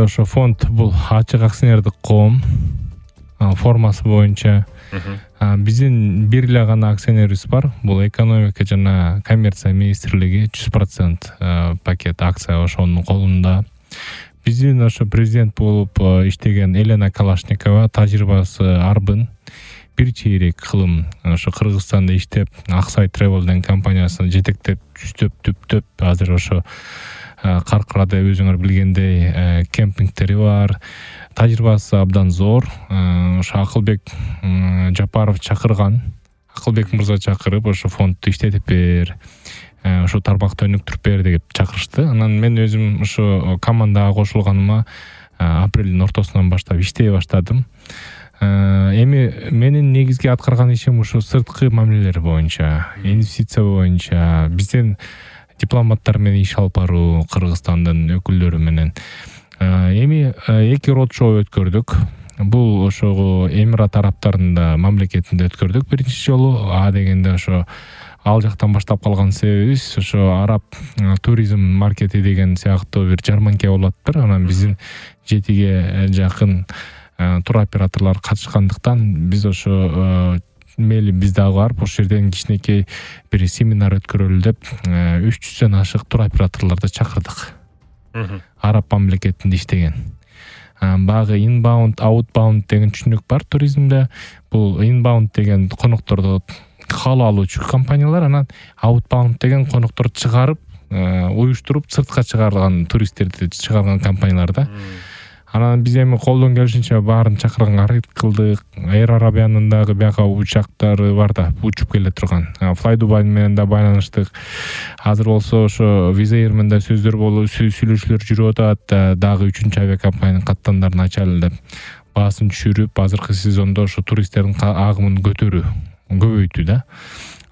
ошо фонд бул ачык акционердик коом формасы боюнча биздин бир эле гана акционерибиз бар. Бул экономика жана коммерция министрлиги 100% пакет акция ошонун колунда. Биздин ошо президент болуп иштеген Елена Калашникова тажрыйбасы арбын. Бир чейрек кылым ошо Кыргызстанда иштеп, Аксай Travel деген компаниясын жетектеп, түзтөп, азыр ошо Каркырада өзүңөр билгендей кемпингтери бар. Тажрыйбасы абдан зор. Ошо Акылбек Жапаров чакырган. Акылбек мырза чакырып, ошо фондду иштетип бер, ошо тармакты өнүктүрүп бер деп чакырышты. Анан мен өзүм ошо командага кошулганыма апрелдин ортосунан баштап иштей баштадым. Эми менин негизги аткарган ишим ушу сырткы мамилелер боюнча, инвестиция боюнча, биздин дипломаттар менен иш алып баруу, Кыргызстандын өкүлдөрү менен. Эми 2 род-шоу өткөрдүк. Бул ошо Эмират Араптарында мамлекетинде өткөрдүк биринчи жолу. Дегенде ошо ал жактан баштап калган себебибиз ошо араб туризм маркети деген сыяктуу бир жарманке болуптур. Анан биздин 7ге жакын туроператорлор катышкандыктан биз ошо мейли биз дагы барып ошол жерден кичинекей бир семинар өткөрөлү деп 300дөн ашык туроператорлорду чакырдык. Араб мамлекетинде иштеген. Багы inbound, outbound деген түшүнүк бар туризмде. Бул inbound деген конокторду кабыл алуучу компаниялар, анан outbound деген конокторду чыгарып, уюштуруп сыртка чыгарган туристтерди чыгарган компаниялар да. Анан биз эми колдон келишинче баарын чакырганга аракет кылдык. Air Arabia'нын дагы бияка учактары бар да, учуп келе турган. Fly Dubai менен да байланыштык. Азыр болсо ошо Wizz Air менен да сөздөр болуп, сүйлөшүүлөр жүрүп атат. Дагы 3-чү авиакомпаниянын каттандарын ачалы деп баасын түшүрүп, азыркы сезондо ошо туристтердин агымын көбөйтүү да.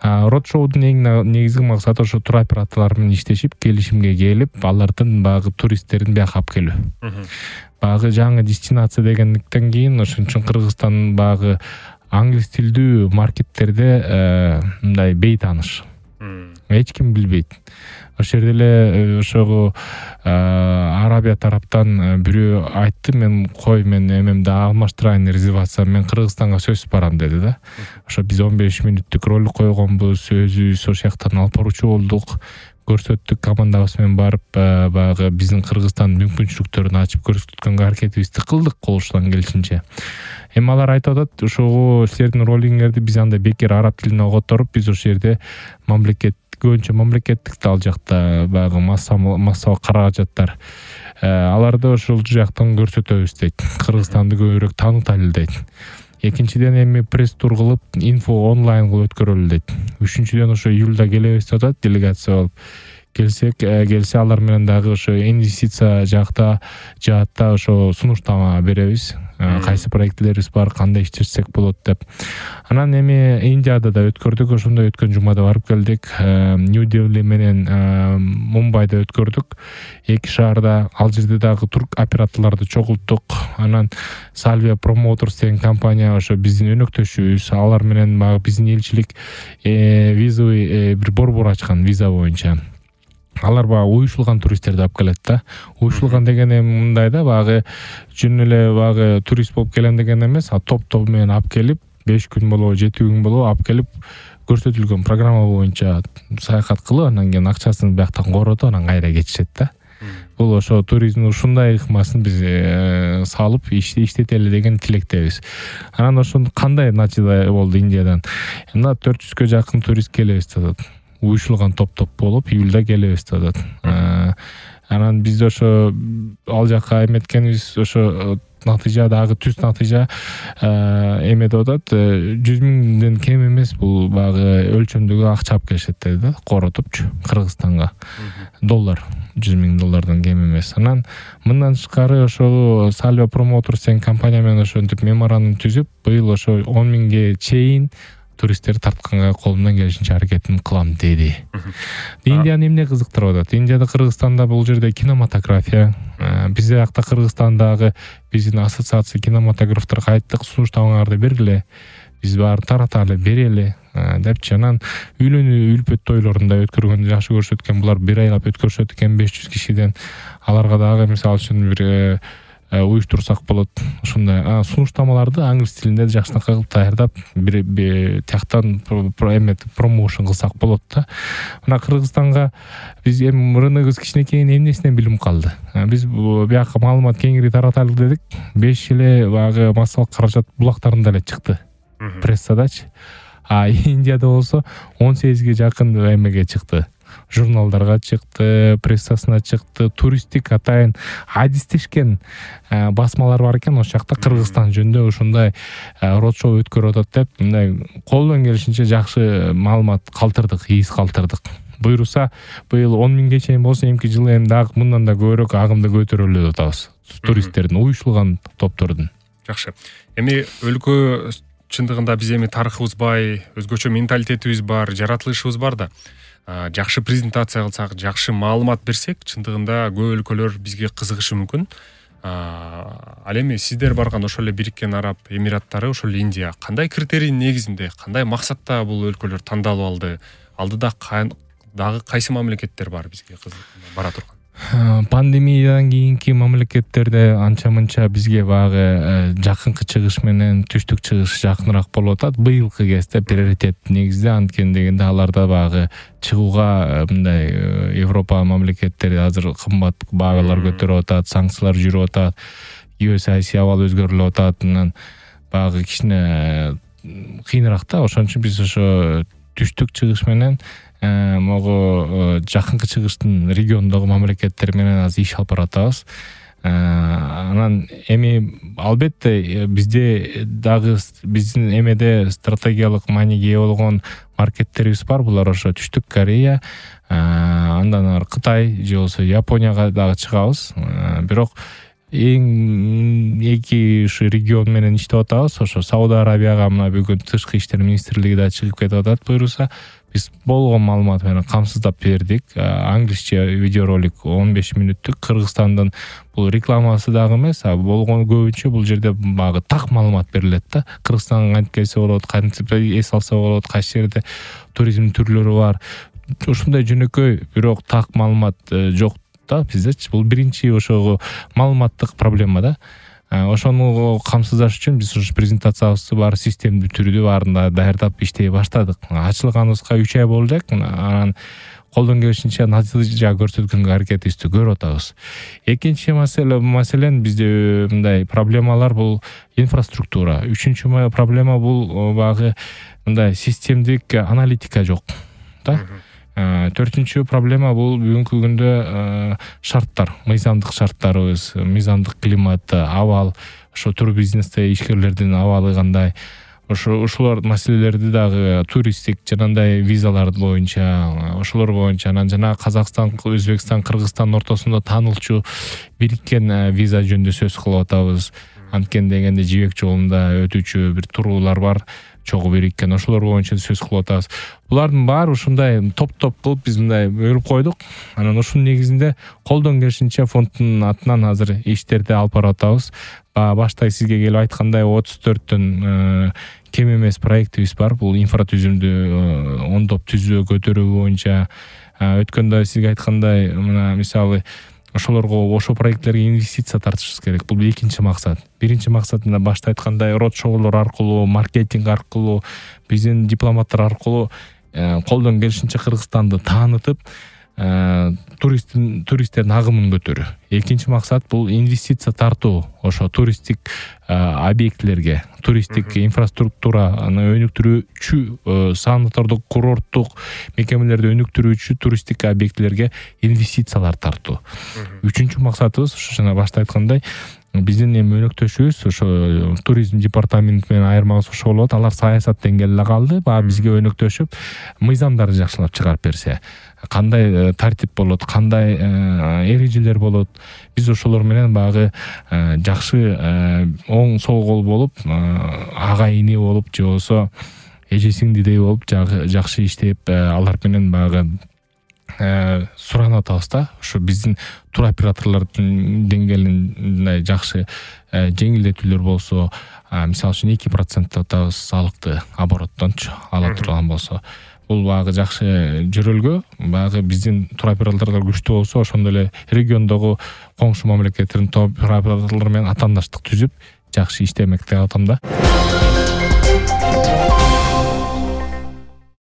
Род-шоудун негизги максаты ошо туроператорлор менен иштешип, келишимге келип, алардын багы туристтерин бияка алып келүү. Багы жаңы дестинация дегендиктен кийин ошон үчүн Кыргызстандын багы англис тилдүү маркеттерде мындай бейтааныш. Эч ким билбейт. Ошол жерде эле ошого Арабия тараптан бирөө айтты, мен эмемди алмаштырайын резервация, мен Кыргызстанга сөзсүз барам деди да. Ошо биз 15 мүнөттүк ролик койгонбуз, өзүбүз ошол жактан алып баруучу болдук. Көрсөттүк, командабыз менен барып, багы биздин Кыргызстандын мүмкүнчүлүктөрүн ачып көрсөткөнгө аракетибизди кылдык колуштан келишинче. Эми алар айтып атат, ошого силердин ролиңерди биз андай бекер араб тилине которуп, биз ошол жерде көбүнчө мамлекеттик ал жакта багы массалык каражаттар аларды ошол жактан көрсөтөбүз дейт. Кыргызстанды көбүрөөк таанытайлы дейт. Экинчиден эми пресс-тур кылып, инфо онлайн кылып өткөрөлү дейт. Үчүнчүдөн ошо июлда келебиз деп атат, делегация болуп. Келсе алар менен дагы ошо инвестиция жаатта ошо сунуштама беребиз. Кайсы проектлерибиз бар, кандай иштешсек болот деп. Анан эми Индияда да өткөрдүк, ошондой өткөн жумада барып келдик. Нью-Дели менен Мумбайда өткөрдүк. 2 шаарда, ал жерде дагы тур операторлорду чогулттук. Анан Salvia Promoters деген компания ошо биздин өнөктөшүбүз, алар менен багы биздин элчилик визовый бир борбор ачкан виза боюнча. Алар багы уюшулган туристтерди алып келет да. Уюшулган деген эми мындай да, багы жөн эле багы турист болуп келем деген эмес, топ менен алып келип, 5 күн болобу, 7 күн болобу алып келип, көрсөтүлгөн программа боюнча саякат кылып, анан кийин акчасын бияктан коротуп, анан кайра кетишет да. Бул ошо туризмдин ушундай ыкмасын биз салып иштетели деген тилектебиз. Анан ошону кандай натыйжа болду Индиядан? Мына 400гө жакын турист келебиз деп атат. Уюшулган топ болуп, июлда келебиз деп атат. Анан биз ошо ал жакка эметкенибиз, ошо натыйжа дагы түз натыйжа эме деп атат. 100 миңден кем эмес бул багы өлчөмдөгү акча алып келишет деди да, коротупчу Кыргызстанга. Доллар, 100 миң доллардан кем эмес. Анан мындан тышкары ошо Salvia Promoters деген компания менен ошентип меморандум түзүп, быйыл ошо 10 миңге чейин туристтерди тартканга колумдан келишинче аракетин кылам деди. Индияны эмне кызыктырып атат? Индияда, Кыргызстанда бул жерде кинематография, бизде акта Кыргызстандагы биздин ассоциация кинематографтарга айттык, сунуштамаңарды бергиле, биз баарын тараталы, берели депчи. Анан үйлөнүү үлпөт тойлорунда өткөргөндү жакшы көрүшөт экен. Булар 1 айлап өткөрүшөт экен 500 кишиден. Аларга дагы мисалы үчүн бир уюштурсак болот. Ушундай сунуштамаларды англис тилинде жакшынакай кылып даярдап бир тияктан промоушн кылсак болот да. Мына Кыргызстанга биз эми рыногубуз кичинекей эмнесинен билим калды. Биз бияка маалымат кеңири таратайлык дедик. 5 эле баягы массалык каражат булактарында эле чыкты. Прессадачы. Индияда болсо 18ге жакын эмеге чыкты. Журналдарга чыкты, прессасына чыкты, туристтик атайын адистешкен басмалар бар экен. Ошол жакта Кыргызстан жөнүндө ушундай род-шоу өткөрүп атат деп, мындай колдон келишинче жакшы маалымат калтырдык, ийиз калтырдык. Буйруса, быйыл 10 миңге чейин болсо, эмки жылы эми дагы мындан да көбүрөөк агымды көтөрөлүп атабыз. Туристтердин, уюшулган топтордун. Жакшы. Эми өлкө чындыгында биз эми тарыхыбыз бай, өзгөчө менталитетибиз бар, жаратылышыбыз бар да. Жакшы презентация кылсак, жакшы маалымат берсек, чындыгында көп өлкөлөр бизге кызыгышы мүмкүн. Ал эми сиздер барган ошол эле Бириккен Араб Эмираттары, ошол эле Индия кандай критерий негизинде, кандай максатта бул өлкөлөр тандалып алды? Алдыда дагы кайсы мамлекеттер бар бизге бара турган? Пандемиядан кийинки мамлекеттерде анча-мынча бизге баягы жакынкы чыгыш менен түштүк чыгыш жакыныраак болуп атат. Быйылкы кезде приоритет негизде анткени дегенде аларда баягы чыгууга мындай Европа мамлекеттери азыр кымбат баагалар көтөрүп атат, санкциялар жүрүп атат, геосаясий абал өзгөрүлүп атат. Анан баягы кичине кыйыныраак да. Ошон үчүн биз ошо түштүк чыгыш менен могу жакынкы чыгыштын региондогу мамлекеттер менен азыр иш алып баратабыз. Анан эми албетте бизде дагы биздин эмеде стратегиялык мааниге ээ болгон маркеттерибиз бар. Булар ошо Түштүк Корея, андан ары Кытай же болбосо Японияга дагы чыгабыз. Бирок эң эки ушу регион менен иштеп атабыз. Ошо Сауд Арабияга мына бүгүн тышкы иштер министрлиги да чыгып кетип атат. Буйруса биз болгон маалымат менен камсыздап бердик. Англисче видеоролик 15 мүнөттүк. Кыргызстандын бул рекламасы дагы эмес, болгон көбүнчө бул жерде багы так маалымат берилет да. Кыргызстанга кантип келсе болот, кантип эс алса болот, кайсы жерде туризм түрлөрү бар. Ушундай жөнөкөй, бирок так маалымат жок да биздечи. Бул биринчи ошого маалыматтык проблема да. Ошону камсыздаш үчүн биз ушу презентациябызды бар системдүү түрдө баарында даярдап иштей баштадык. Ачылганыбызга 3 ай болду элек. Анан колдон келишинче натыйжа көрсөткөнгө аракетибизди көрүп атабыз. Экинчи маселен бизде мындай проблемалар бул инфраструктура. Үчүнчү проблема бул багы мындай системдик аналитика жок да. Төртүнчү проблема бул бүгүнкү күндө шарттар, мыйзамдык шарттарыбыз, мыйзамдык климат, абал, ошо турбизнесте ишкерлердин абалы кандай. Ошолор маселелерди дагы туристтик жанагындай визалар боюнча, ошолор боюнча анан жана Казакстан, Өзбекстан, Кыргызстан ортосунда таанылчу бириккен виза жөнүндө сөз кылып атабыз. Анткени дегенде жибек жолунда өтүүчү бир туруулар бар. Чогуу бириккен ошолор боюнча сөз кылып атабыз. Булардын баары ушундай топ-топ кылып биз мындай бөлүп койдук. Анан ушунун негизинде колдон келишинче фонддун атынан азыр иштерди алып барып атабыз. Башта сизге келип айткандай 34төн кем эмес проектибиз бар. Бул инфратүзүмдү оңдоп түзүү көтөрүү боюнча. Өткөндө сизге айткандай, мына мисалы ошолорго, ошол проекттерге инвестиция тартышыбыз керек. Бул экинчи максат. Биринчи максат мына башта айткандай род-шоулор аркылуу, маркетинг аркылуу, биздин дипломаттар аркылуу колдон келишинче Кыргызстанды таанытып, туристтердин агымын көтөрүү. Экинчи максат бул инвестиция тартуу, ошо туристтик объектилерге, туристтик инфраструктураны өнүктүрүүчү, санатордук, курорттук мекемелерди өнүктүрүүчү туристтик объектилерге инвестициялар тартуу. Үчүнчү максатыбыз ошо жана башта айткандай, биздин эми өнөктөшүбүз ошо туризм департаменти менен айырмабыз ошо болот. Алар саясаттен келе калды. Бизге өнөктөшүп, мыйзамдарды жакшылап чыгарып берсе, кандай тартип болот, кандай эрежелер болот, биз ошолор менен багы жакшы оң сол кол болуп, ага ини болуп, же болсо эже сиңдидей болуп жакшы иштеп, алар менен багы суранып атабыз да. Ошо биздин туроператорлордун деңгээлинде жакшы жеңилдетүүлөр болсо, мисалы үчүн 2% атабыз салыкты обороттончу ала турган болсо, бул баягы жакшы жөрөлгө, баягы биздин туроператорлор күчтүү болсо, ошондой эле региондогу коңшу мамлекеттердин туроператорлору менен атаандаштык түзүп жакшы иштемек деп атам да.